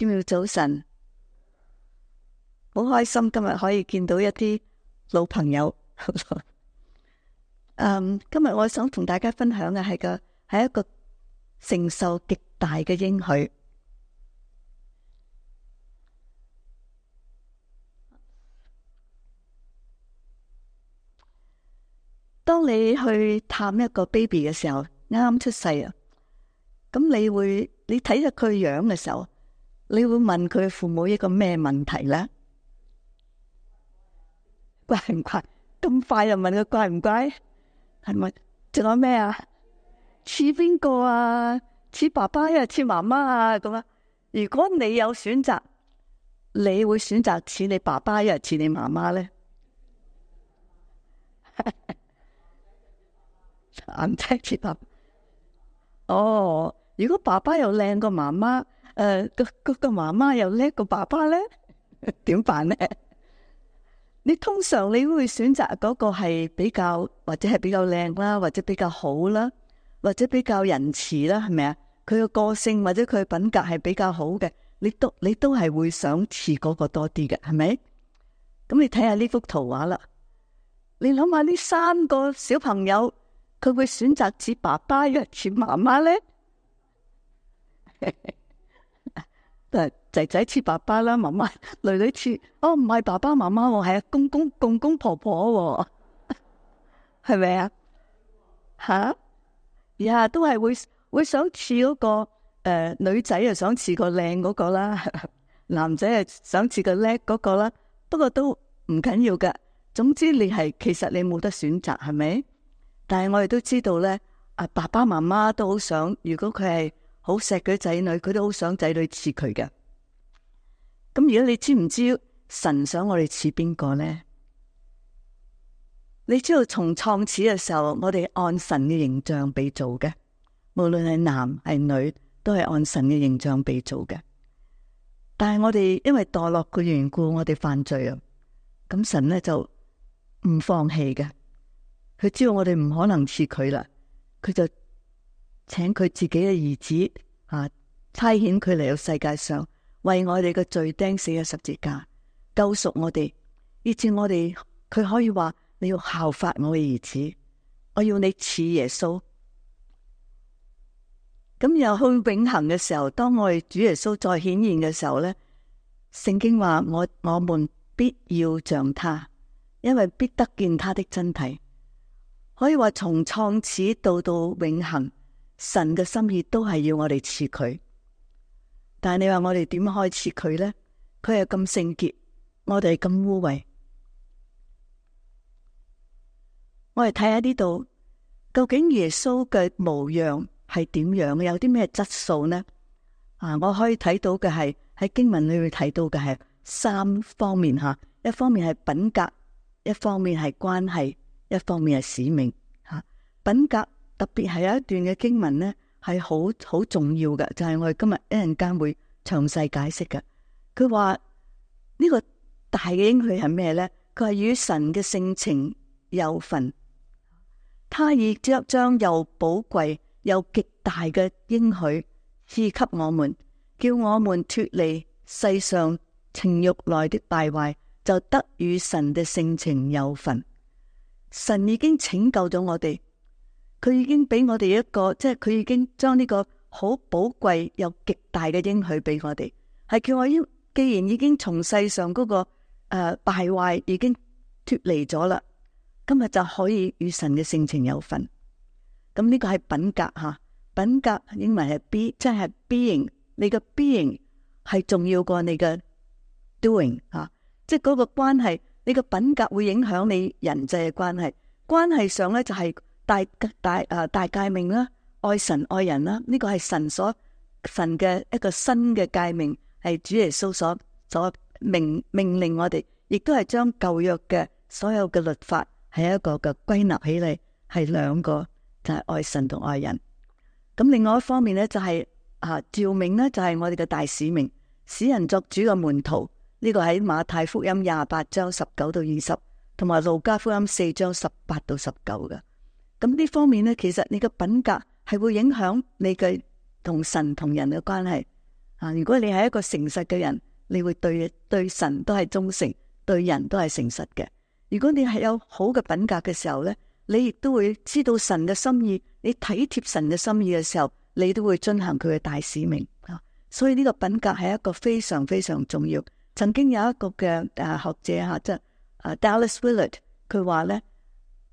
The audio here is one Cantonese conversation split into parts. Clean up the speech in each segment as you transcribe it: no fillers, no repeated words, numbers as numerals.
今日早晨，好開心今日可以見到一啲老朋友。今日我想同大家分享嘅係一個承受極大嘅應許。當你去探一個 baby 嘅時候，啱啱出世啊，咁你睇下佢樣嘅時候，你會問佢父母一個咩問題呢？乖唔乖？咁快就問佢乖唔乖？係咪？仲有咩啊？似邊個啊？似爸爸呀？似媽媽啊？咁啊？如果你有選擇，你會選擇似你爸爸呀？似你媽媽呢？眼仔似爸爸。哦，如果爸爸又靚過媽媽，個媽媽又叻過爸爸呢？點辦呢？通常你會選擇嗰個係比較或者係比較靚啦，或者比較好啦，或者比較仁慈啦，係咪啊？佢個性或者佢品格係比較好嘅，你都係會想似嗰個多啲嘅，係咪？咁你睇下呢幅圖畫啦，你諗下呢三個小朋友，佢會選擇似爸爸呀，似媽媽呢？仔仔似爸爸啦，媽媽女女似唔係爸爸媽媽喎，係公公婆婆喎，係咪啊？吓呀，都係會想似嗰個女仔啊，想似個靚嗰個啦，男仔啊想似個叻嗰個啦。不過都唔緊要噶，總之其實你冇得選擇，係咪？但係我哋都知道咧，爸爸媽媽都好想，如果佢係好錫佢仔女，佢都好想仔女似佢嘅。咁如果你知唔知神想我哋似邊個呢？你知道從創始嘅時候，我哋按神嘅形象被造嘅，無論係男係女，都係按神嘅形象被造嘅。但係我哋因為墮落嘅緣故，我哋犯罪啊，咁神呢就唔放棄嘅。佢知道我哋唔可能似佢啦，佢就請佢自己嘅兒子差遣佢嚟到世界上，為我哋嘅罪釘死喺十字架，救贖我哋，以致我哋佢可以話，你要效法我嘅兒子，我要你似耶穌。咁又去永恆嘅時候，當我哋主耶穌再顯現嘅時候呢，聖經話我們必要像他，因為必得見他的真體。可以話從創始到永恆，神嘅心意都係要我哋似佢。但係你話我哋點開始佢呢？佢係咁聖潔，我哋係咁污穢。我哋睇下呢度，究竟耶穌嘅模樣係點樣？有啲咩質素呢？我可以睇到嘅係喺經文裏面睇到嘅係三方面吓，一方面係品格，一方面係關係，一方面係使命吓。品格特別係有一段嘅經文呢，係好重要嘅，就係我哋今日一陣間會詳細解釋嘅。佢話呢個大嘅應許係咩呢？佢係與神嘅性情有份，他已將又寶貴又極大嘅應許賜給我們，叫我們脫離世上情慾內的敗壞，就得與神的性情有份。神已經拯救咗我哋，佢已經俾我哋一個，即係佢已經將呢個好寶貴又極大嘅應許俾我哋，係叫我既然已經從世上嗰個敗壞已經脫離咗啦，今日就可以與神嘅性情有份。咁呢個係品格吓，品格英文係 B， 即係 being， 你嘅 being 係重要過你嘅 doing 吓，即係嗰個關係，你嘅品格會影響你人際嘅關係。關係上咧就係大誡命啦，愛神愛人啦，呢個係神嘅一個新嘅誡命，係主耶穌所命令我哋，亦都係將舊約嘅所有嘅律法係一個嘅歸納起嚟，係兩個，就係愛神同愛人。咁另外一方面咧就係召命咧，就係我哋嘅大使命，使人作主嘅門徒。呢個喺馬太福音28章19到20，同埋路加福音4章18到19嘅。咁呢方面咧，其實你嘅品格係會影響你嘅同神同人嘅關係。如果你係一個誠實嘅人，你會對神都係忠誠，對人都係誠實嘅。如果你係有好嘅品格嘅時候呢，你亦都會知道神嘅心意，你體貼神嘅心意嘅時候，你都會遵行佢嘅大使命。所以呢個品格係一個非常非常重要。曾經有一個嘅學者即係Dallas Willard，佢話呢，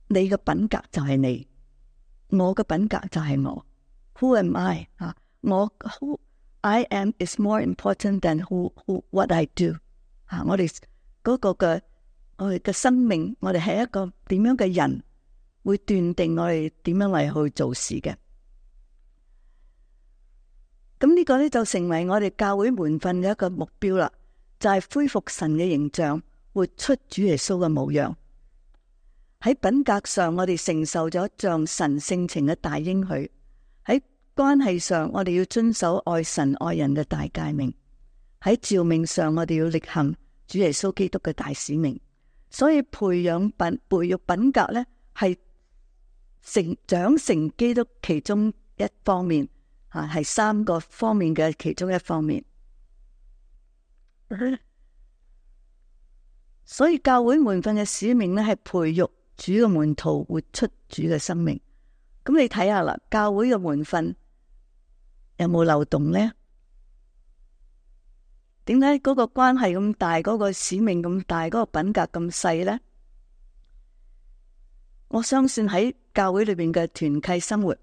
你嘅品格就係你，我嘅品格就係我。Who am I？ who I am is more important than what I do。我哋嗰個嘅我哋嘅生命，我哋係一個點樣嘅人，會斷定我哋點樣嚟去做事嘅。咁呢個呢，就成為我哋教會門訓嘅一個目標啦，就係恢復神嘅形象，活出主耶穌嘅模樣。喺品格上，我哋承受咗像神性情嘅大應許；喺關係上，我哋要遵守愛神愛人嘅大誡命；喺召命上，我哋要力行主耶穌基督嘅大使命。所以培育品格呢，係長成基督其中一方面，係3個方面嘅其中一方面。所以教會門訓嘅使命呢，係培育主嘅門徒活出主嘅生命。咁你睇下啦，教會嘅門訓有冇漏洞呢？點解嗰個關係咁大，嗰個使命咁大，嗰個品格咁細呢？我相信喺教會裏邊嘅團契生活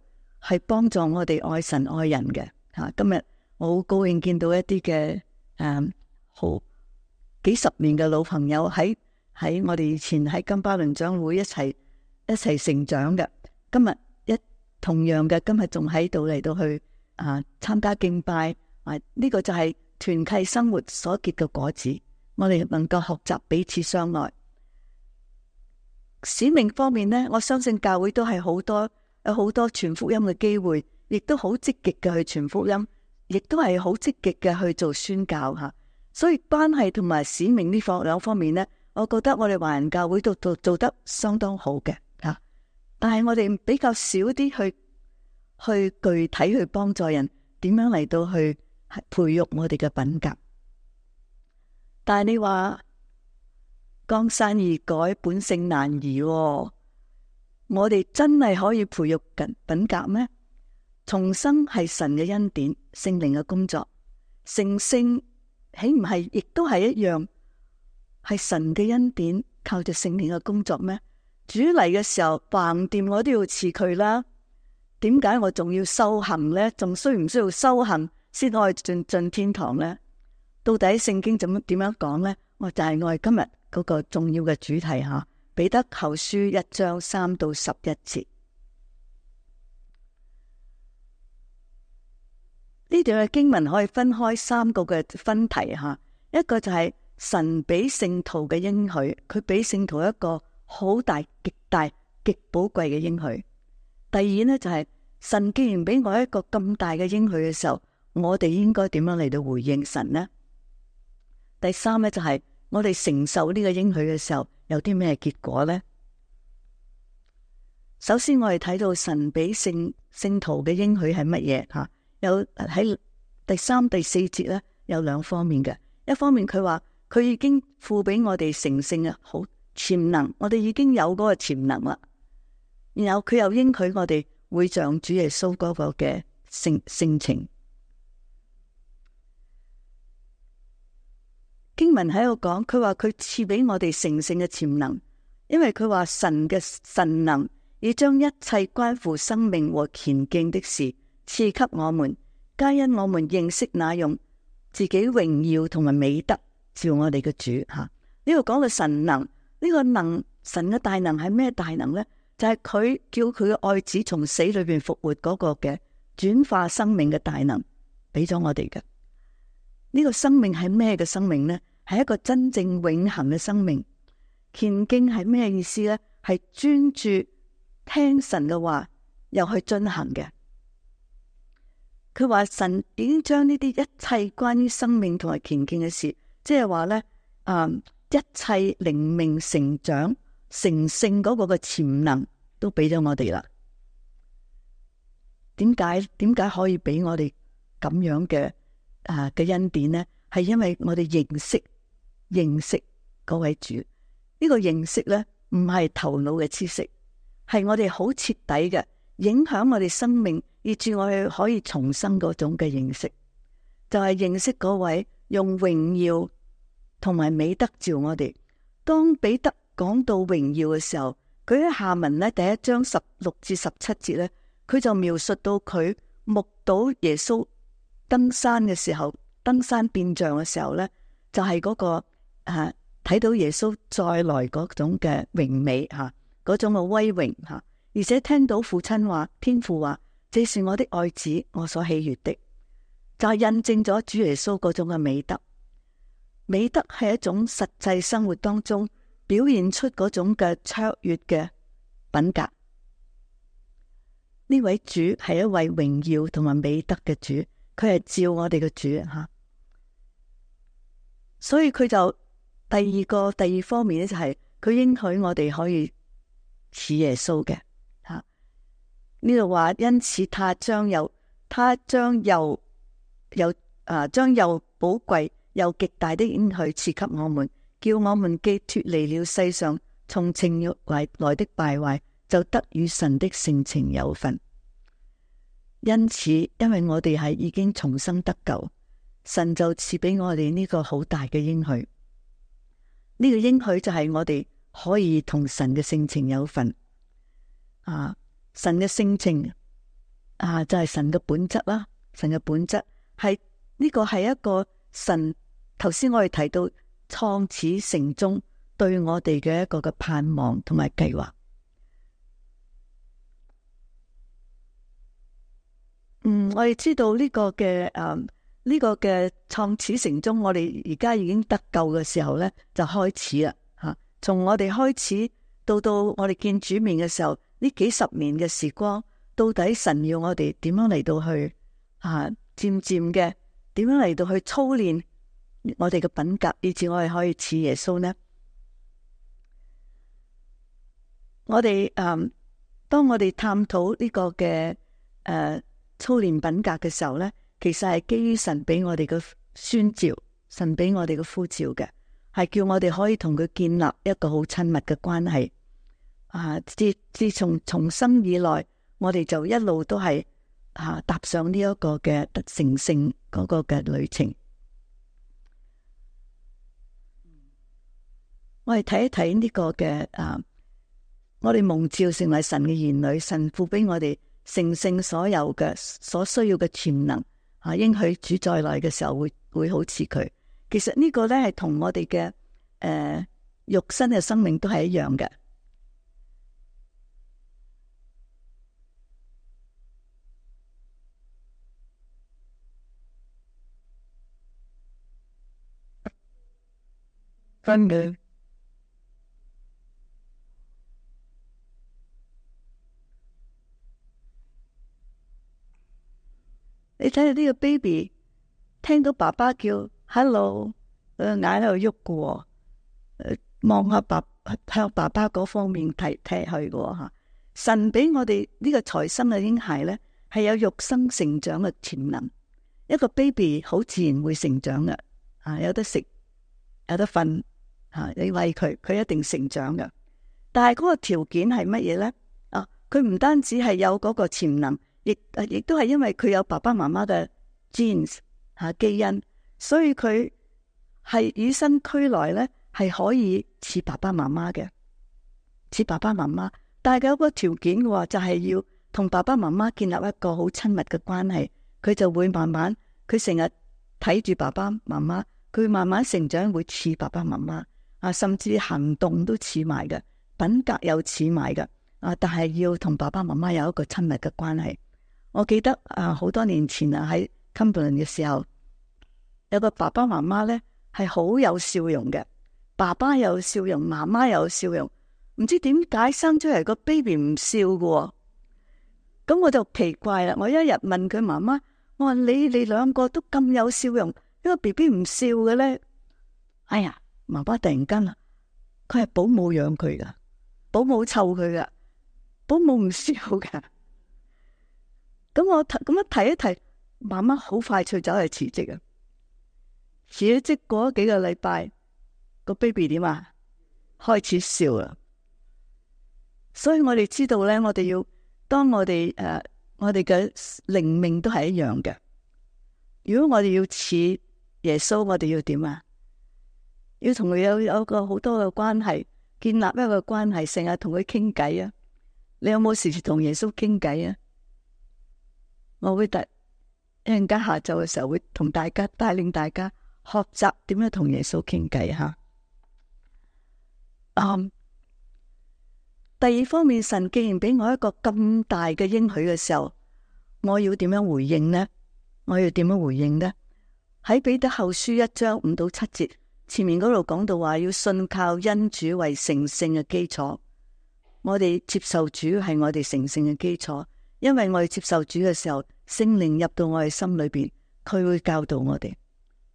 係幫助我哋愛神愛人嘅。今日我好高興見到一啲嘅好幾十年嘅老朋友喺我哋以前喺金巴倫長會一齊成長嘅。今日同樣嘅，今日仲喺度嚟到去參加敬拜。呢個就係團契生活所結嘅果子。我哋能夠學習彼此相愛。使命方面呢，我相信教會都係有好多傳福音嘅機會，亦都好積極嘅去傳福音，亦都係好積極嘅去做宣教吓。所以關係同埋使命呢兩方面呢，我覺得我哋華人教會都做得相當好嘅吓。但係我哋比較少啲去具體去幫助人，點樣嚟到去培育我哋嘅品格。但係你話江山易改，本性難移，我哋真係可以培育品格咩？重生係神嘅恩典，聖靈嘅工作。成聖豈唔係亦都係一樣，係神嘅恩典，靠着聖靈嘅工作咩？主嚟嘅時候橫掂我都要辭佢啦，點解我仲要修行呢？仲需唔需要修行先可以進天堂呢？到底聖經點樣講呢？就係我哋今日嗰個重要嘅主題吓，彼得後書1章3到11節。呢段嘅經文可以分開3個嘅分題吓，一個就係神俾聖徒嘅應許，佢俾聖徒一個好大、極大、極寶貴嘅應許。第二呢，就係神既然俾我一個咁大嘅應許嘅時候，我哋應該點樣嚟到回應神呢？第三呢，就係我哋承受呢個應許嘅時候有啲咩結果呢？首先我哋睇到神俾聖徒嘅應許係乜嘢吓？有喺第3、第4節呢，有2方面嘅。一方面佢話佢已經賦俾我哋成聖嘅好潛能，我哋已經有嗰個潛能啦。然後佢又應許我哋會像主耶穌嗰個嘅性情。經文喺度講，佢話佢賜俾我哋成聖嘅潛能，因為佢話神嘅神能已將一切關乎生命和虔敬的事賜給我們，皆因我們認識那用自己榮耀同埋美德照我哋嘅主吓。呢度講到神能，呢個能，神嘅大能係咩大能呢？就係佢叫佢嘅愛子從死裏邊復活嗰個嘅轉化生命嘅大能，俾咗我哋嘅。呢個生命係咩嘅生命呢？係一個真正永恆嘅生命。虔敬係咩意思呢？係專注聽神嘅話，又去進行嘅。佢話神已經將呢啲一切關於生命同埋虔敬嘅事，即係話呢，一切靈命成長成聖嗰個嘅潛能都俾咗我哋啦。點解可以俾我哋咁樣嘅嘅恩典呢，係因為我哋認識嗰位主。呢個認識呢，唔係頭腦嘅知識，係我哋好徹底嘅影響我哋生命，以致我哋可以重生嗰種嘅認識，就係認識嗰位用榮耀同埋美德召我哋。當彼得講到榮耀嘅時候，佢喺下文呢，第1章16至17節呢，佢就描述到佢目睹耶穌登山嘅時候，登山變像嘅時候呢，就係嗰個睇到耶穌再來嗰種嘅榮美嗰種嘅威榮而且聽到父親話，天父話，這是我的愛子，我所喜悅的，就係印證咗主耶穌嗰種嘅美德。美德係一種實際生活當中表現出嗰種嘅卓越嘅品格。呢位主係一位榮耀同埋美德嘅主，佢係照我哋嘅主所以佢就第二方面咧，就係佢應許我哋可以似耶穌嘅呢度話，因此他將又寶貴又極大的應許賜給我們，叫我們既脫離了世上從情欲來的敗壞，就得與神的性情有份。因此，因為我哋係已經重生得救，神就賜俾我哋呢個好大嘅應許。呢個應許就係我哋可以同神嘅性情有份神嘅性情就係神嘅本質啦。神嘅本質係呢個係一個神，頭先我哋提到創始成終對我哋嘅一個嘅盼望同埋計劃。我哋知道呢個嘅創始成終，我哋而家已經得救嘅時候呢，就開始啦從我哋開始到我哋見主面嘅時候，呢幾十年嘅時光，到底神要我哋點樣嚟到去漸漸嘅點樣嚟到去操練我哋嘅品格，以至我哋可以似耶穌呢？我哋當我哋探討呢個嘅操練品格嘅時候呢，其實係基於神俾我哋嘅宣召，神俾我哋嘅呼召嘅，係叫我哋可以同佢建立一個好親密嘅關係。自從重生以來，我哋就一路都係踏上呢一個嘅得成聖嗰個嘅旅程。我哋睇一睇呢個嘅我哋蒙召成為神嘅兒女，神父俾我哋成聖所有嘅所需要嘅潛能應許主再來嘅時候會好似佢。其實呢個呢係同我哋嘅肉身嘅生命都係一樣嘅。分嘅，你睇下呢個 baby 聽到爸爸叫 hello， 眼喺度喐嘅，望下向爸爸嗰方面踢去嘅吓。神俾我哋呢個才生嘅嬰孩呢，係有肉身成長嘅潛能。一個 baby 好自然會成長嘅，有得食，有得瞓。你餵佢，佢一定成長嘅。但係嗰個條件係乜嘢呢？佢唔單止係有嗰個潛能，亦都係因為佢有爸爸媽媽嘅 genes 基因，所以佢係與生俱來呢，係可以似爸爸媽媽嘅，似爸爸媽媽。但係有個條件嘅話，就係要同爸爸媽媽建立一個好親密嘅關係，佢就會慢慢，佢成日睇住爸爸媽媽，佢慢慢成長會似爸爸媽媽。甚至行動都似埋嘅，品格又似埋嘅，但係要同爸爸媽媽有一個親密嘅關係。我記得好多年前喺 Cumberland 嘅時候，有個爸爸媽媽呢係好有笑容嘅，爸爸有笑容，媽媽有笑容，唔知點解生出嚟個 baby 唔笑嘅，咁我就奇怪啦。我一日問佢媽媽，我話你兩個都咁有笑容，呢個 BB 唔笑嘅呢？哎呀！媽媽突然間佢係保姆養佢噶，保姆湊佢噶，保姆唔笑噶。咁我咁樣提一提，媽媽好快脆走去辭職啊！辭咗職過咗幾個禮拜，個 baby 點啊？開始笑啦。所以我哋知道咧，我哋要當我哋我哋嘅靈命都係一樣嘅。如果我哋要似耶穌，我哋要點啊？要同佢有個好多嘅關係，建立一個關係，成日同佢傾偈啊！你有冇時時同耶穌傾偈啊？我會一陣間下晝嘅時候會同大家帶領大家學習點樣同耶穌傾偈吓。第二方面，神既然俾我一個咁大嘅應許嘅時候，我要點樣回應呢？我要點樣回應呢？喺彼得後書1章5到7節前面嗰度講到話，要信靠恩主為成聖嘅基礎。我哋接受主係我哋成聖嘅基礎，因為我哋接受主嘅時候，聖靈入到我哋心裏邊，佢會教導我哋，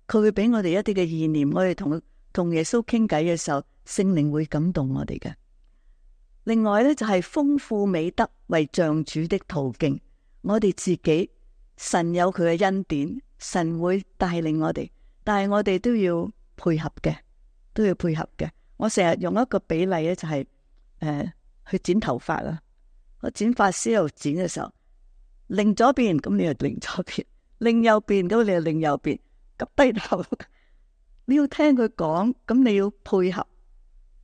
佢會俾我哋一啲嘅意念。我哋同耶穌傾偈嘅時候，聖靈會感動我哋嘅。另外呢，就係豐富美德為像主的途徑。我哋自己，神有佢嘅恩典，神會帶領我哋，但係我哋都要配合嘅，都要配合嘅。我成日用一個比例咧，就係去剪頭髮啦。我剪髮師喺度剪嘅時候，擰左邊咁你就擰左邊，擰右邊咁你就擰右邊，急低頭。你要聽佢講，咁你要配合，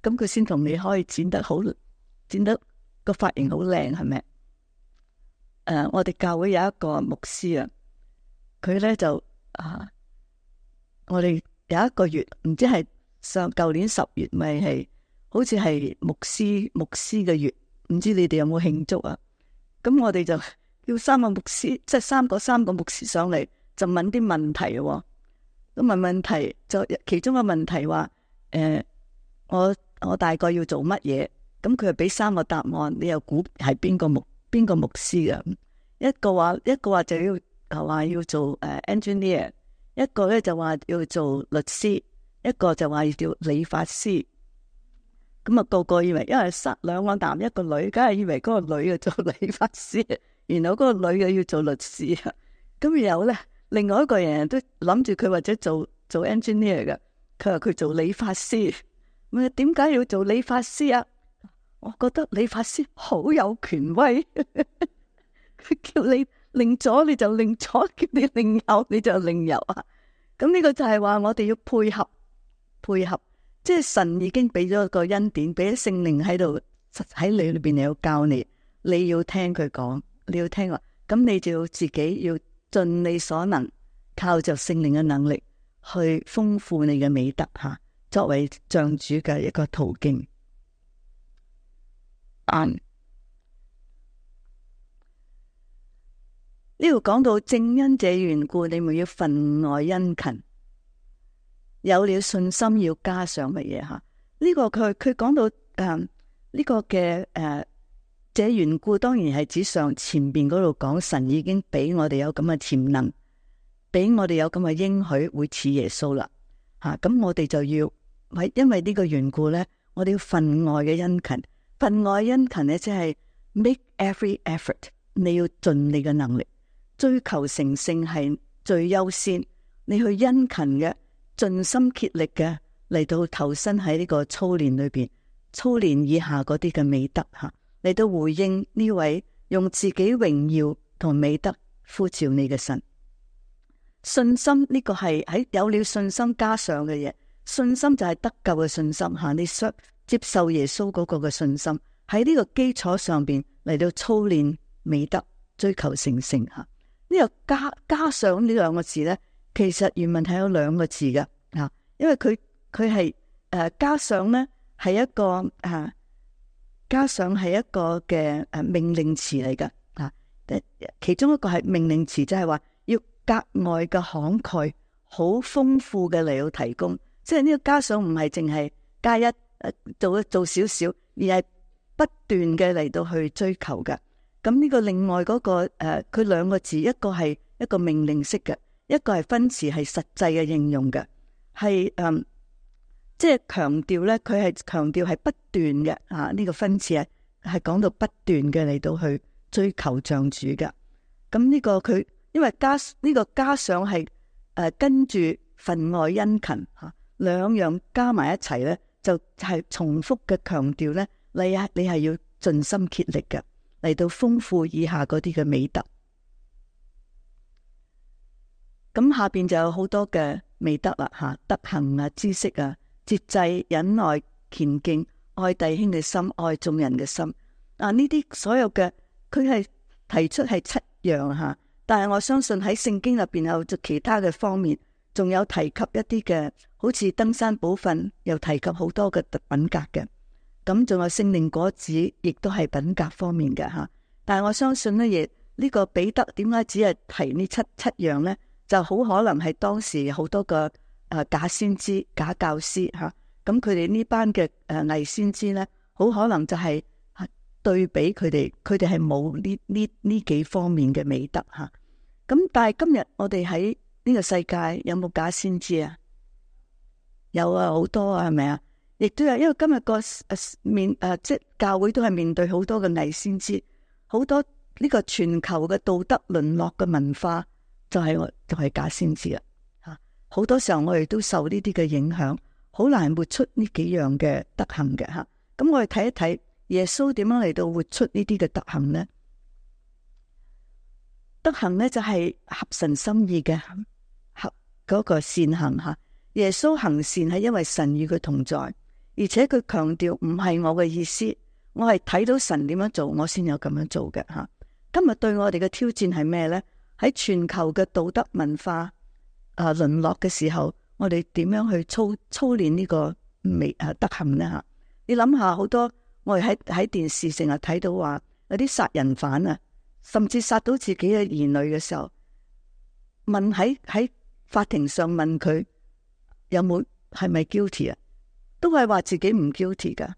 咁佢先同你可以剪得好。剪得個髮型好靚，係咪？我哋教會有一個牧師啊，佢咧就我哋有一個月，唔知係舊年10月，咪係好似係牧師嘅月，唔知你哋有冇慶祝啊？咁我哋就叫3個牧師，即係三個牧師上嚟，就問啲問題喎。咁問問題就其中個問題話，我大概要做乜嘢？咁佢又俾3個答案，你又估係邊個牧師嘅？一個話就要做engineer， 一個咧就話要做律師，一個就話要做理髮師。咁啊個個以為，因為2個男一個女，梗係以為嗰個女嘅做理髮師，然後嗰個女嘅要做律師啊。咁然後咧，另外一個人都諗住佢或者做 engineer 嘅，佢話佢做理髮師。咁點解要做理髮師啊？我覺得理髮師好有權威，佢叫你擰左你就擰左，叫你擰右你就擰右啊！咁呢個就係話我哋要配合，即係神已經俾咗個恩典，俾咗聖靈喺度喺你裏邊，你要教你，你要聽佢講，你要聽話，咁你就要自己要盡你所能，靠着聖靈嘅能力去豐富你嘅美德吓，作為像主嘅一個途徑。呢度講到正因這緣故，你們要分外殷勤，有了信心要加上乜嘢吓？呢個佢講到呢個嘅這緣故，當然係指上前邊嗰度講神已經俾我哋有咁嘅潛能，俾我哋有咁嘅應許會似耶穌啦吓。咁我哋就要因為呢個緣故咧，我哋要分外嘅殷勤。分外殷勤咧，即係 make every effort， 你要盡你嘅能力，追求成聖係最優先。你去殷勤嘅，盡心竭力嘅嚟到投身喺呢個操練裏邊，操練以下嗰啲嘅美德吓，嚟到回應呢位用自己榮耀同美德呼召你嘅神。信心呢個係喺有了信心加上嘅嘢，信心就係得救嘅信心吓，你接受耶穌嗰個嘅信心，喺呢個基礎上邊嚟到操練美德，追求成聖吓。呢個加上呢兩個字咧，其實原文係有2個字嘅吓，因為佢係加上咧係一個加上係一個嘅命令詞嚟噶吓。其中一個係命令詞，就係話要格外嘅慷慨，好豐富嘅嚟到提供。即係呢個加上唔係淨係加一。做少少，而係不斷嘅嚟到去追求嘅。咁呢個另外嗰個佢2個字，一個係一個命令式嘅，一個係分詞係實際嘅應用嘅，係即係強調咧，佢係強調係不斷嘅呢個分詞係講到不斷嘅嚟到去追求像主嘅。咁呢個佢因為加上係跟住分外殷勤吓，兩樣加埋一齊咧，就係重複嘅強調咧，你係要盡心竭力嘅嚟到豐富以下嗰啲嘅美德。咁下邊就有好多嘅美德啦吓，德行啊、知識啊、節制、忍耐、虔敬、愛弟兄嘅心、愛眾人嘅心。呢啲所有嘅佢係提出係7樣吓，但係我相信喺聖經入邊有其他嘅方面，仲有提及一啲嘅，好似登山寶訓又提及好多嘅品格嘅。咁仲有聖靈果子，亦都係品格方面嘅吓。但係我相信呢，亦呢個彼得點解只係提呢七樣呢？就好可能係當時好多個假先知、假教師吓，咁佢哋呢班嘅偽先知呢，好可能就係對比佢哋係冇呢幾方面嘅美德吓。咁但係今日我哋喺呢個世界有冇假先知啊？有啊，好多啊，係咪啊？亦都有，因為今日個即係教會都係面對好多嘅偽先知，好多呢個全球嘅道德淪落嘅文化。就係假先知啦吓，好多時候我哋都受呢啲嘅影響，好難活出呢幾樣嘅德行嘅吓。咁我哋睇一睇耶穌點樣嚟到活出呢啲嘅德行呢？德行呢就係合神心意嘅合嗰個善行吓。耶穌行善係因為神與佢同在，而且佢強調唔係我嘅意思，我係睇到神點樣做，我先有咁樣做嘅吓。今日對我哋嘅挑戰係咩呢？喺全球嘅道德文化淪落嘅時候，我哋點樣去操練呢個德行呢？吓，你諗下，好多我哋喺電視成日睇到話有啲殺人犯啊，甚至殺到自己嘅兒女嘅時候，問喺法庭上問佢有冇係咪 guilty 啊，都係話自己唔 guilty 噶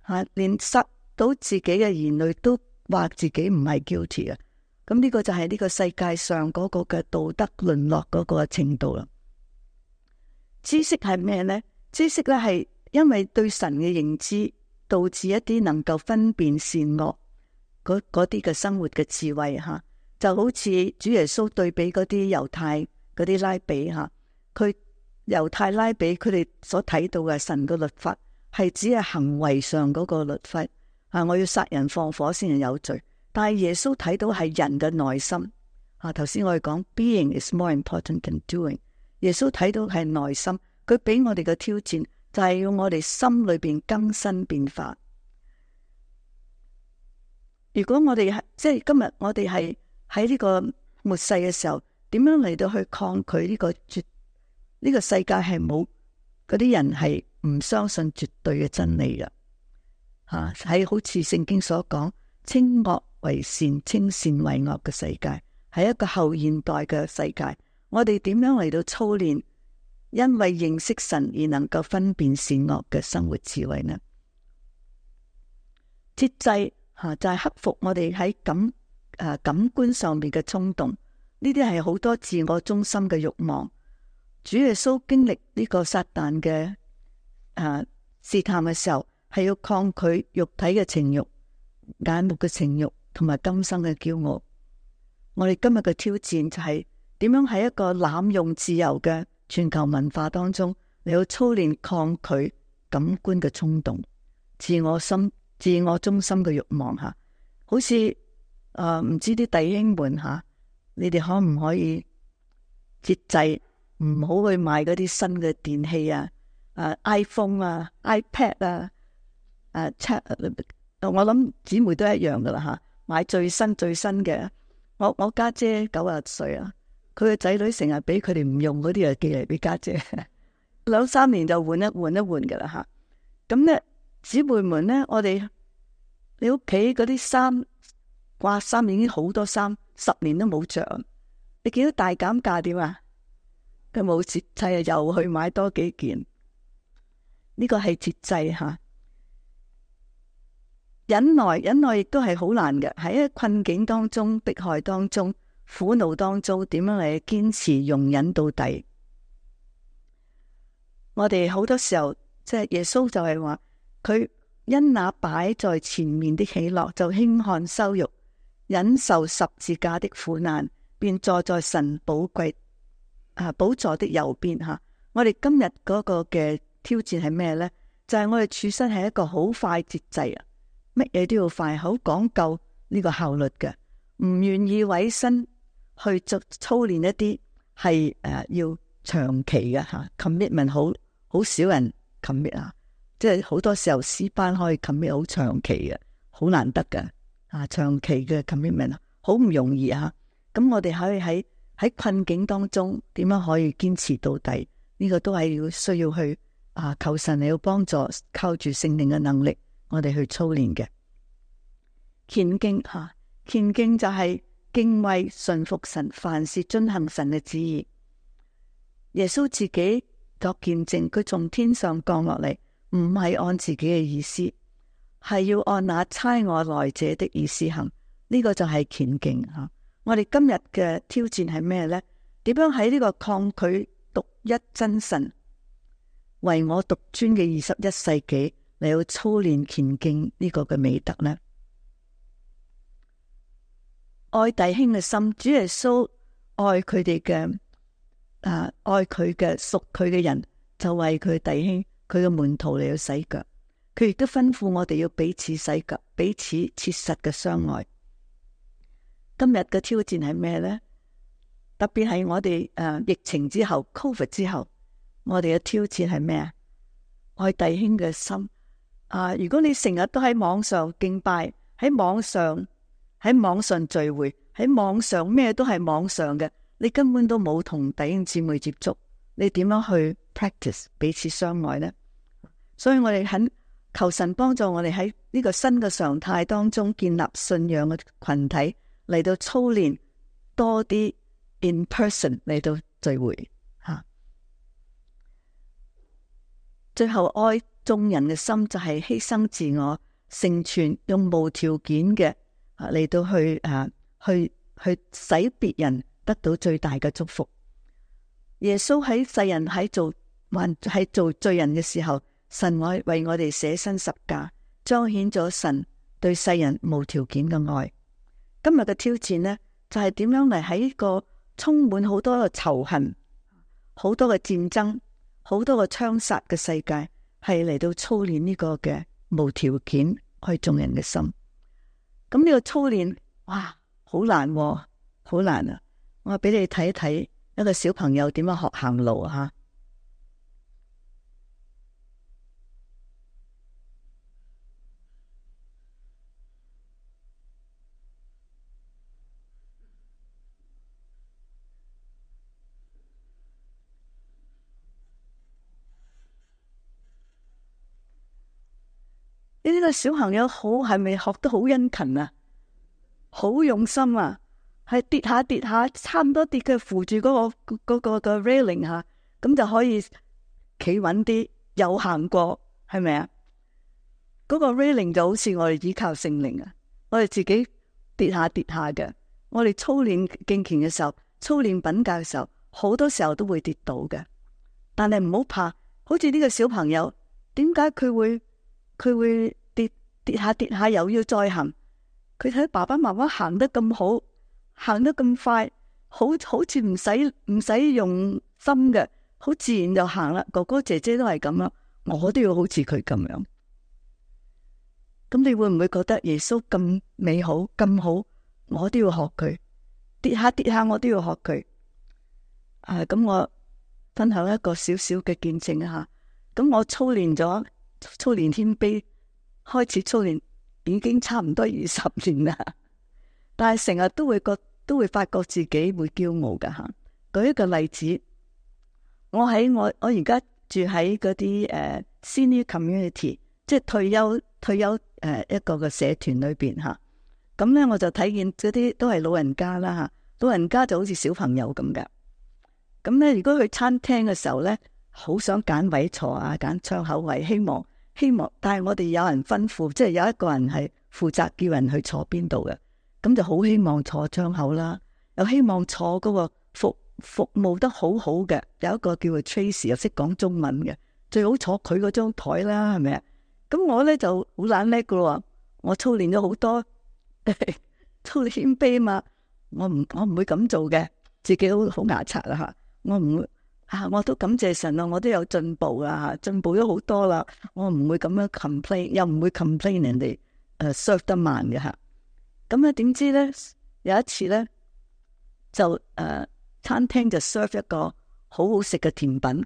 吓，連殺到自己嘅兒女都話自己唔係 guilty 啊。咁呢個就係呢個世界上嗰個嘅道德淪落嗰個程度啦。知識係咩呢？知識咧係因為對神嘅認知，導致一啲能夠分辨善惡嗰啲嘅生活嘅智慧吓。就好似主耶穌對比嗰啲猶太嗰啲拉比吓，佢猶太拉比佢哋所睇到嘅神嘅律法係只係行為上嗰個律法啊，我要殺人放火先係有罪。但係耶穌睇到係人嘅內心啊，頭先我哋講 being is more important than doing。耶穌睇到係內心，佢俾我哋嘅挑戰就係要我哋心裏邊更新變化。如果我哋即係今日我哋係喺呢個末世嘅時候，點樣嚟到去抗拒呢個世界係冇嗰啲人係唔相信絕對嘅真理嘅吓，喺好似聖經所講，稱惡為善，稱善為惡嘅世界，係一個後現代嘅世界。我哋點樣嚟到操練，因為認識神而能夠分辨善惡嘅生活智慧呢？節制就係克服我哋喺感官上面嘅衝動，呢啲係好多自我中心嘅慾望。主耶穌經歷呢個撒旦嘅試探嘅時候，係要抗拒肉體嘅情慾、眼目嘅情慾同埋今生嘅驕傲。我哋今日嘅挑戰就係點樣喺一個濫用自由嘅全球文化當中，你要操練抗拒感官嘅衝動、自我中心嘅慾望吓。好似唔知啲弟兄們吓，你哋可唔可以節制，唔好去買嗰啲新嘅電器啊，iPhone 啊、iPad 啊，我諗姊妹都一樣噶啦吓，買最新嘅。我家姐90歲啊，佢嘅仔女成日俾佢哋唔用嗰啲啊，寄嚟俾家姐，2-3年就換一換噶啦吓。咁咧，姊妹們咧，你屋企嗰啲衫掛衫已經好多衫，10年都冇着。你見到大減價點啊？佢冇節制啊，又去買多幾件。呢個係節制吓。忍耐亦都係好難嘅，喺一個困境當中、迫害當中、苦惱當中，點樣嚟堅持容忍到底？我哋好多時候，即係耶穌就係話，佢因那擺在前面的喜樂，就輕看羞辱，忍受十字架的苦難，便坐在神寶貴寶座的右邊吓。我哋今日嗰個嘅挑戰係咩呢？就係我哋處身係一個好快節制啊，乜嘢都要快，好講究呢個效率嘅，唔願意委身去操練一啲係要長期嘅吓 commitment，好少人 commit 啊，即係好多時候詩班可以 commit 好長期嘅，好難得嘅長期嘅 commitment 好唔容易啊。咁我哋可以喺困境當中點樣可以堅持到底？呢個都係需要去求神嚟要幫助，靠住聖靈嘅能力，我哋去操練嘅。虔敬虔敬就係敬畏順服神，凡事遵行神嘅旨意。耶穌自己作見證，佢從天上降落嚟，唔係按自己嘅意思，係要按那差我來者的意思行。呢個就係虔敬吓。我哋今日嘅挑戰係咩呢？點樣喺呢個抗拒獨一真神為我獨尊嘅21世紀嚟到操練虔敬呢個嘅美德呢？愛弟兄嘅心，主耶穌愛佢哋嘅愛佢嘅屬佢嘅人，就為佢弟兄佢嘅門徒嚟到洗腳。佢亦都吩咐我哋要彼此洗腳，彼此切實嘅相愛。今日嘅挑戰係咩呢？特別係我哋疫情之後 ，Covid 之後，我哋嘅挑戰係咩啊？愛弟兄嘅心如果你成日都喺網上敬拜，喺網上聚會，喺網上咩都係網上嘅，你根本都冇同弟兄姊妹接觸，你點樣去 practice 彼此相愛呢？所以我哋肯求神幫助我哋喺呢個新嘅常態當中建立信仰嘅群體，嚟到操練多啲 in person 嚟到聚會吓。最後愛眾人嘅心就係犧牲自我，成全用無條件嘅嚟到去使別人得到最大嘅祝福。耶穌喺世人喺做罪人嘅時候，神愛為我哋捨身十架，彰顯咗神對世人無條件嘅愛。今日嘅挑戰呢，就係點樣嚟喺個充滿好多嘅仇恨、好多嘅戰爭、好多嘅槍殺嘅世界，係嚟到操練呢個嘅無條件愛眾人嘅心。咁呢個操練，哇，好難啊，好難啊！我俾你睇一睇一個小朋友點樣學行路吓。呢個小朋友係咪學得好殷勤啊？好用心啊！係跌下，差唔多跌佢扶住嗰個 railing 吓，咁就可以企穩啲，又行過，係咪啊？嗰個 railing 就好似我哋依靠聖靈啊！我哋自己跌下嘅，我哋操練敬虔嘅時候，操練品格嘅時候，好多時候都會跌倒嘅。但係唔好怕，好似呢個小朋友，點解佢會跌下又要再行？佢睇爸爸媽媽行得咁好，行得咁快，好似唔使用心嘅，好自然就行啦。哥哥姐姐都係咁啦，我都要好似佢咁樣。咁你會唔會覺得耶穌咁美好咁好？我都要學佢，跌下我都要學佢。咁我分享一個小小嘅見證啊吓。咁我操練謙卑，開始操練已經差唔多20年啦，但係成日都會發覺自己會驕傲噶吓。舉一個例子，我而家住喺嗰啲senior community， 即係退休一個嘅社團裏邊吓。咁咧我就睇見嗰啲都係老人家啦吓，老人家就好似小朋友咁噶。咁咧如果去餐廳嘅時候咧，好想揀位坐啊，揀窗口位，希望，但係我哋有人吩咐，即係有一個人係負責叫人去坐邊度嘅，咁就好希望坐窗口啦，又希望坐嗰個服務得好好嘅，有一個叫做 Tracy 又識講中文嘅，最好坐佢嗰張台啦，係咪啊？咁我咧就好懶叻噶咯，我操練咗好多，操練謙卑嘛，我唔會咁做嘅，自己好牙刷啦吓，我唔會我都感謝神啊，我都有進步啊，進步咗好多啦。我唔會咁樣 complain，又唔會 complain 人哋serve 得慢嘅吓。咁啊，點知咧有一次咧就餐廳就 serve 一個好好食嘅甜品，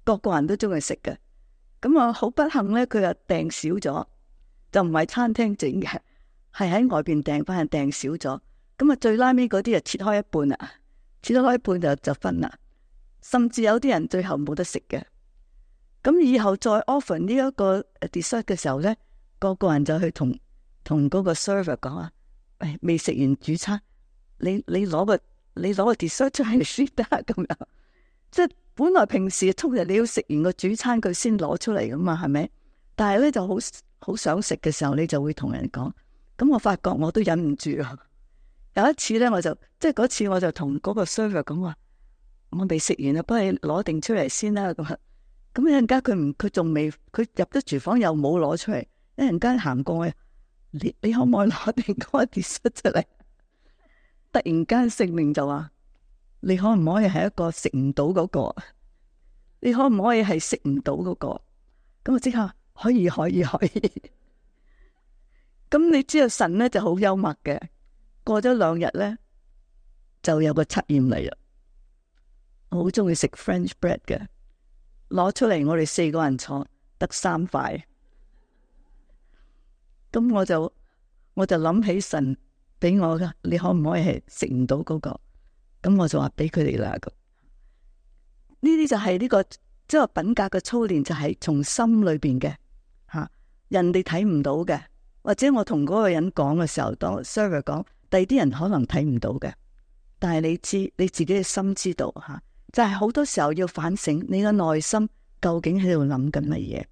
個個人都中意食嘅。咁啊，好不幸咧，佢又訂少咗，就唔係餐廳整嘅，係喺外邊訂翻，訂少咗。咁啊，最拉尾嗰啲就切開一半啦，切開一半就分啦。甚至有啲人最後冇得食嘅。咁以後再 offer 呢一個 dessert 嘅時候咧，個個人就去同嗰個 server 講啊，未食完主餐，你攞個 dessert 出嚟先得咁樣。即係本來平時通常你要食完個主餐佢先攞出嚟噶嘛，係咪？但係咧就好想食嘅時候，你就會同人講。咁我發覺我都忍唔住啊。有一次咧，嗰次我就同嗰個 server 講話，我未食完啊，幫你攞定出嚟先啦。咁一陣間佢仲未，佢入咗廚房又冇攞出嚟。一陣間行過去，你可唔可以攞定嗰個 dessert 出嚟？突然間聖靈就話，你可唔可以係一個食唔到嗰個？你可唔可以係食唔到嗰個？咁我即刻可以。咁你知道神咧就好幽默嘅。過咗2日咧，就有個測驗嚟啦。我好中意食 French bread 嘅，攞出嚟我哋4個人坐得3塊。咁我就諗起神俾我噶，你可唔可以係食唔到嗰個？咁我就話俾佢哋啦。呢啲就係呢個即係品格嘅操練，就係從心裏邊嘅吓，人哋睇唔到嘅，或者我同嗰個人講嘅時候，當 server 講，第二啲人可能睇唔到嘅，但係你自己嘅心知道吓，就係好多時候要反省你嘅內心究竟喺度諗緊乜嘢。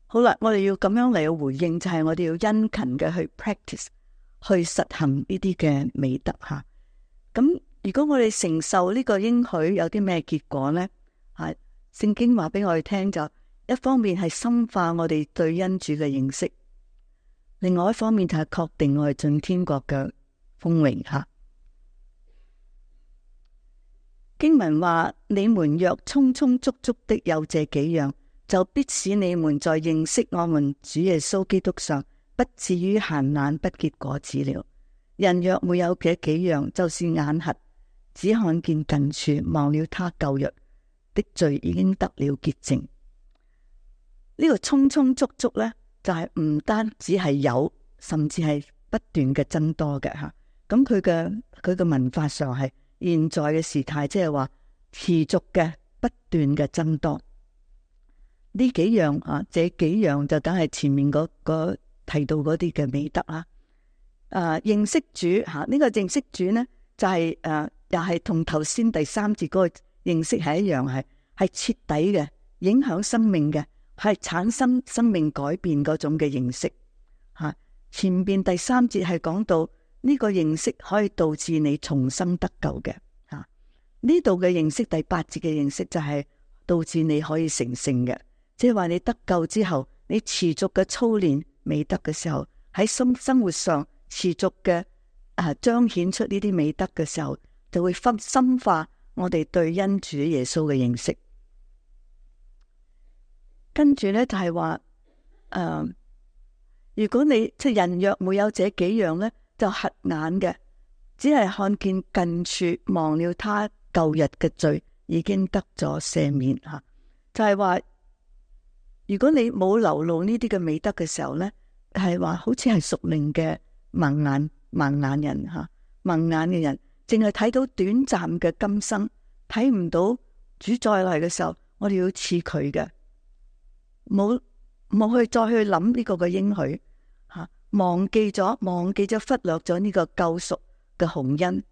好啦，我哋要咁樣嚟回應，就係我哋要殷勤嘅去 practice，去實行呢啲嘅美德吓。咁如果我哋承受呢個應許，有啲咩結果呢？係聖經話俾我哋聽，就一方面係深化我哋對恩主嘅認識，另外一方面就係確定我哋進天國嘅豐榮吓。經文話：你們若充充足足的有這幾樣，就必使你們在認識我們主耶穌基督上，不至於閒懶不結果子了。人若沒有這幾樣，就是眼瞎，只看見近處，忘了他舊約的罪已經得了潔淨。呢個充充足足呢，就係唔單止係有，甚至係不斷嘅增多嘅吓。咁佢嘅文法上係現在嘅時態，即係話持續嘅不斷嘅增多。呢幾樣啊，這幾樣就梗係前面嗰提到嗰啲嘅美德啦。認識主吓，呢個認識主呢，就係又係同頭先第3節嗰個認識係一樣，係徹底嘅，影響生命嘅，係產生生命改變嗰種嘅認識吓。前邊第3節係講到呢個認識可以導致你重生得救嘅吓，呢度嘅認識第8節嘅認識就係導致你可以成聖嘅。即係話你得救之後，你持續嘅操練美德嘅時候，喺生活上持續嘅彰顯出呢啲美德嘅時候，就會深化我哋對恩主耶穌嘅認識。跟住呢，就係話，如果你即係人若沒有這幾樣呢，就瞎眼嘅，只係看見近處，忘了他舊日嘅罪已經得咗赦免吓，就係話。如果你冇流露呢啲嘅美德嘅時候呢，係話好似係屬靈嘅盲眼人吓，盲眼嘅人淨係睇到短暫嘅今生，睇唔到主再來嘅時候，我哋要似佢嘅，冇去再去諗呢個嘅應許吓，忘記咗忽略咗呢個救贖嘅鴻恩，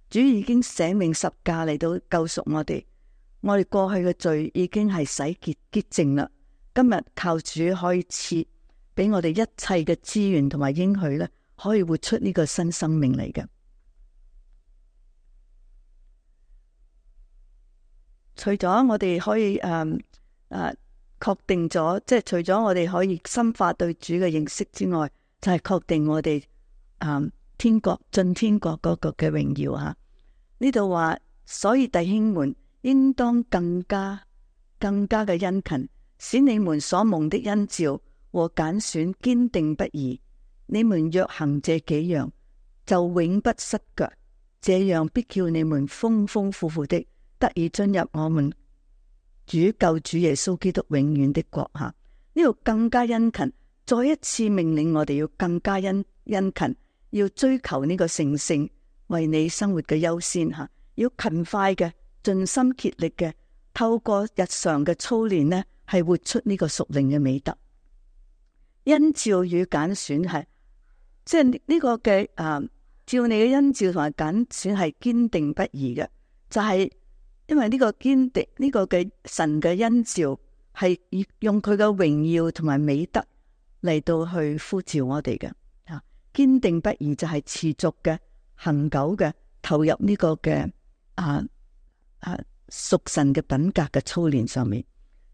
主已經捨命十架嚟到救贖我哋過去嘅罪已經係洗潔淨啦。今日靠主可以賜俾我哋一切嘅資源同埋應許咧，可以活出呢個新生命嚟嘅。除咗我哋可以確定咗，即係除咗我哋可以深化對主嘅認識之外，就係確定我哋天國進天國嗰個嘅榮耀吓。呢度話，所以弟兄們應當更加嘅殷勤，使你們所蒙的恩召和揀選堅定不移。你們若行這幾樣，就永不失腳，這樣必叫你們豐豐富富的得以進入我們主救主耶穌基督永遠的國下。呢度更加殷勤，再一次命令我哋要更加殷勤，要追求呢個成聖，為你生活嘅優先吓，要勤快嘅，盡心竭力嘅，透過日常嘅操練呢，係活出呢個屬靈嘅美德。恩召與揀選係，即係呢個嘅照你嘅恩召同埋揀選係堅定不移嘅，就係因為呢個堅定呢個嘅神嘅恩召係用佢嘅榮耀同埋美德嚟到去呼召我哋嘅。堅定不移就係持續嘅、恆久嘅投入呢個嘅屬神嘅品格嘅操練上面。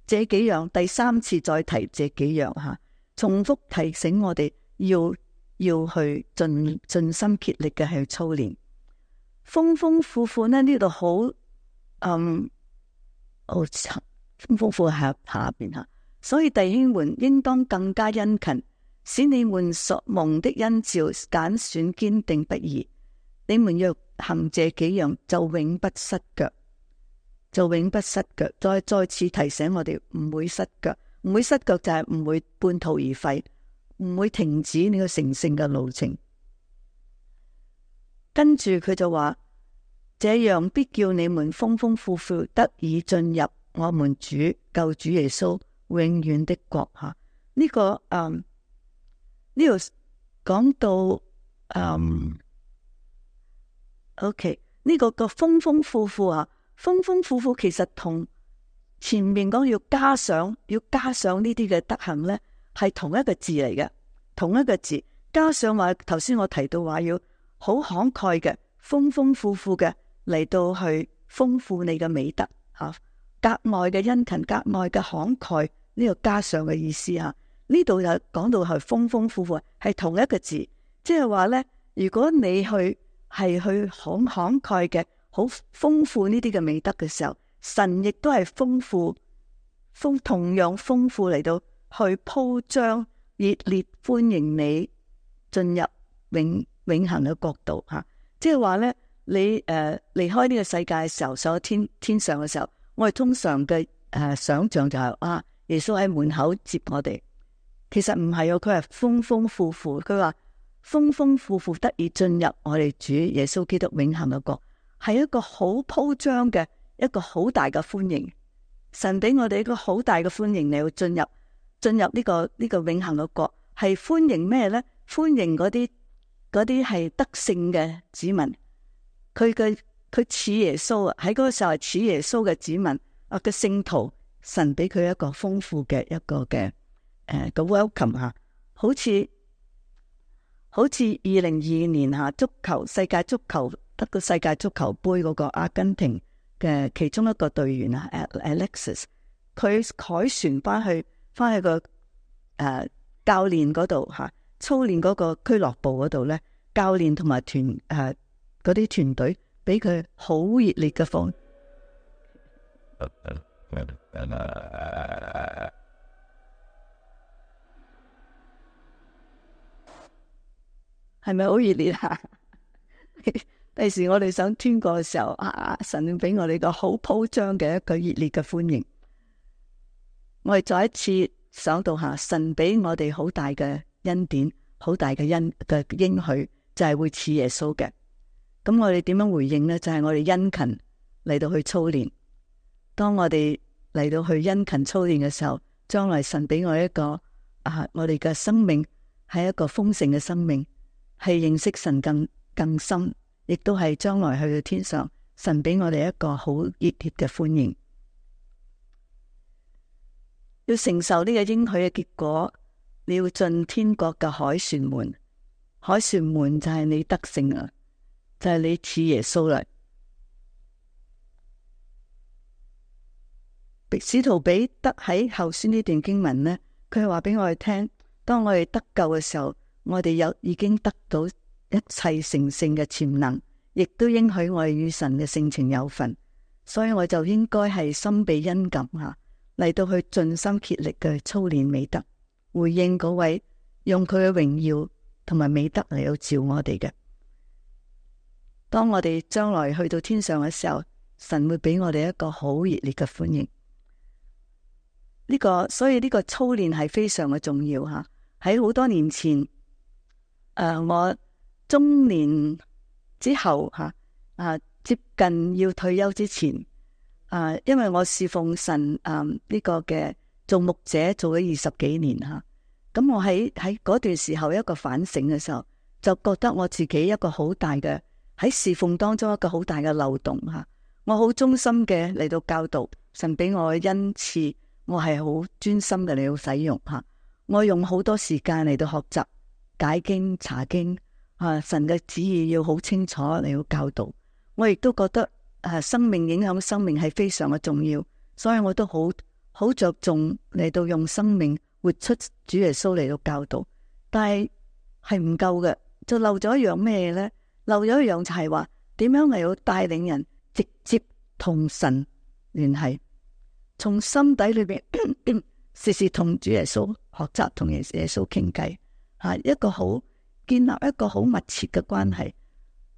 這幾樣第三次再提這幾樣吓，重複提醒我哋要去盡心竭力嘅去操練。豐豐富富呢度好豐豐富富下邊吓，所以弟兄們應當更加殷勤，使你們所蒙的恩召揀選堅定不移。你們若行這幾樣，就永不失腳，再次提醒我哋唔會失腳，唔會失腳就係唔會半途而廢，唔會停止呢個成聖嘅路程。跟住佢就話，這樣必叫你們豐豐富富得以進入我們主救主耶穌永遠的國下。呢個呢度講到OK， 呢個豐豐富富啊，豐豐富富其實同前面講要加上呢啲嘅德行呢，係同一個字嚟嘅，同一個字。加上話頭先我提到話要好慷慨嘅，豐豐富富嘅嚟到去豐富你嘅美德吓，格外嘅殷勤，格外嘅慷慨，呢個加上嘅意思吓。呢度就講到係豐豐富富，係同一個字，即係話呢，如果你係去慷慨嘅，好豐富呢啲嘅美德嘅時候，神亦都係同樣豐富嚟到去鋪張，熱烈歡迎你進入永恆嘅國度吓。即係話呢，你離開呢個世界嘅時候，上咗天上嘅時候，我哋通常嘅想象就係耶穌喺門口接我哋。其實唔係，佢係豐豐富富。佢話豐豐富富得以進入我哋主耶穌基督永恆嘅國，係一個好鋪張嘅一個好大嘅歡迎。神俾我哋一個好大嘅歡迎，你要進入呢個永恆嘅國，係歡迎咩呢？歡迎嗰啲係得勝嘅子民，佢似耶穌啊！喺嗰個時候係似耶穌嘅子民嘅聖徒，神俾佢一個豐富嘅一個嘅個 welcome 吓，好似2022年吓世界足球得個世界足球杯嗰個阿根廷嘅其中一個隊員啊 Alexis， 佢凱旋翻去個教練嗰度吓，操練嗰個俱樂部嗰度咧，教練同埋嗰啲團隊俾佢好熱烈嘅歡迎。係咪好熱烈啊？第時我哋想穿過嘅時候，神俾我哋個好鋪張嘅一個熱烈嘅歡迎。我哋再一次想到神俾我哋好大嘅恩典，好大嘅應許，就係會似耶穌嘅。咁我哋點樣回應呢？就係我哋殷勤嚟到去操練。當我哋嚟到去殷勤操練嘅時候，將來神俾我一個我哋嘅生命係一個豐盛嘅生命。係認識神更深，亦都係將來去到天上，神俾我哋一個好熱烈嘅歡迎。要承受呢個應許嘅結果，你要進天國嘅凱旋門。凱旋門就係你得勝啊，就係你似耶穌啦。使徒彼得喺後書呢段經文呢，佢係話俾我哋聽，當我哋得救嘅時候，我哋已經得到一切成聖嘅潛能，亦都應許我哋與神嘅性情有份，所以我就應該係心被恩感嚟到去盡心竭力嘅操練美德，回應嗰位用佢嘅榮耀同埋美德嚟到召我哋嘅。當我哋將來去到天上嘅時候，神會俾我哋一個好熱烈嘅歡迎。所以呢個操練係非常嘅重要吓。喺好多年前，我中年之後接近要退休之前，因為我侍奉神呢個嘅做牧者做咗20幾年吓，咁我喺嗰段時候一個反省嘅時候，就覺得我自己一個好大嘅喺侍奉當中一個好大嘅漏洞吓。我好忠心嘅嚟到教導，神俾我嘅恩賜，我係好專心嘅嚟到使用吓。我用好多時間嚟到學習解經查經神嘅旨意要好清楚嚟到教導。我亦都覺得生命影響生命係非常嘅重要，所以我都好着重嚟到用生命活出主耶穌嚟到教導。但係唔夠嘅，就漏咗一樣咩呢？漏咗一樣就係話點樣嚟到帶領人直接同神聯繫，從心底裏邊時時同主耶穌學習，同耶穌傾偈，建立一個好密切嘅關係，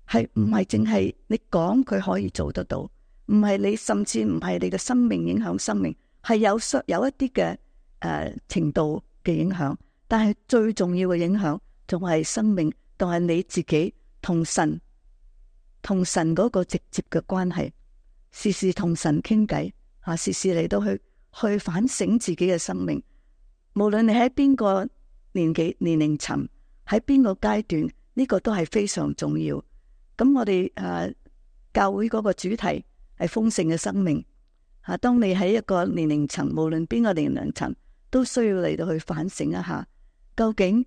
係唔係淨係你講佢可以做得到？唔係你，甚至唔係你嘅生命影響生命，係有一啲嘅程度嘅影響，但係最重要嘅影響仲係生命，仲係你自己同神嗰個直接嘅關係，時時同神傾偈時時嚟到去反省自己嘅生命。無論你喺邊個年齡層，喺邊個階段，呢個都係非常重要。咁我哋教會嗰個主題係豐盛嘅生命當你喺一個年齡層，無論邊個年齡層，都需要嚟到去反省一下，究竟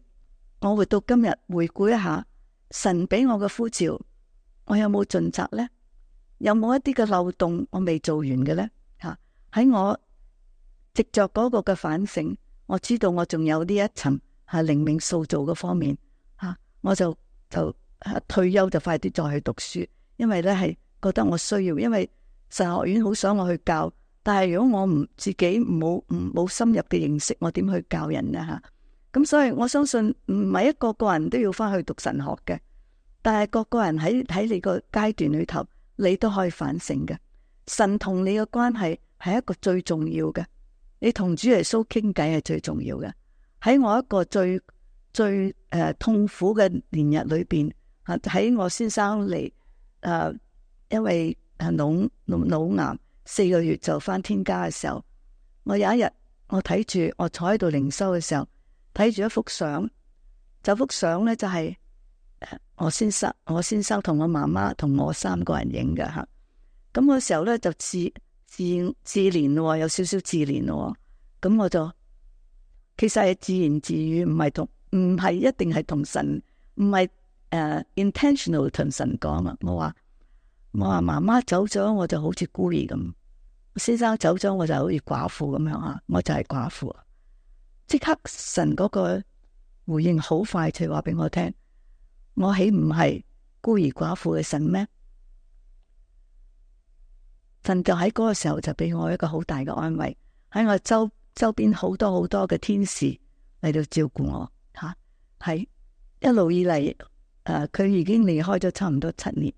我活到今日，回顧一下神俾我嘅呼召，我有冇盡責呢？有冇一啲嘅漏洞我未做完嘅呢？喺我藉着嗰個嘅反省，我知道我仲有呢一層靈命塑造嘅方面我就退休就快啲再去讀書，因為咧係覺得我需要，因為神學院好想我去教，但係如果我自己冇深入嘅認識，我點去教人呢？咁所以我相信唔係一個人都要翻去讀神學嘅，但係個人喺你個階段裏頭，你都可以反省嘅。神同你嘅關係係一個最重要嘅，你同主耶穌傾偈係最重要嘅。喺我一個最痛苦嘅年日裏邊，喺我先生嚟因為腦癌4個月就返天家嘅時候，我有一日我睇住我坐喺度靈修嘅時候，睇住一幅相，幅相呢就係我先生同我媽媽同我3個人影嘅吓。咁嗰時候呢就自憐咯，有少少自憐咯。咁我就其實係自言自語，唔係一定係同神，唔係intentional 同神講啊。我話媽媽走咗，我就好似孤兒咁；先生走咗，我就好似寡婦咁樣我就係寡婦。即刻神嗰個回應好快就話俾我聽，我豈唔係孤兒寡婦嘅神咩？神就喺嗰個時候就俾我一個好大嘅安慰，喺我周邊好多嘅天使嚟到照顧我係一路以嚟佢已經離開咗差唔多7年，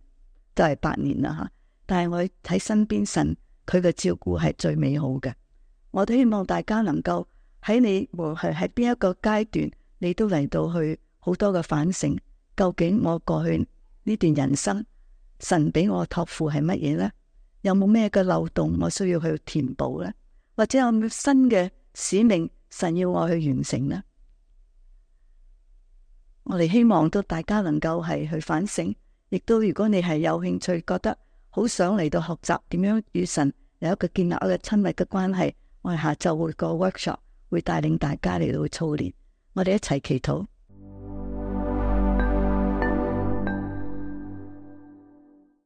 就係8年啦但係我喺身邊，神佢嘅照顧係最美好嘅。我都希望大家能夠喺你無論係喺邊一個階段，你都嚟到去好多嘅反省，究竟我過去呢段人生神俾我託付係乜嘢呢？有冇咩嘅漏洞我需要去填補呢？或者有冇新嘅使命神要我去完成呢？我哋希望都大家能夠係去反省，亦都如果你係有興趣，覺得好想嚟到學習點樣與神有一個建立一個親密嘅關係，我哋下晝會個 workshop 會帶領大家嚟到操練，我哋一齊祈禱。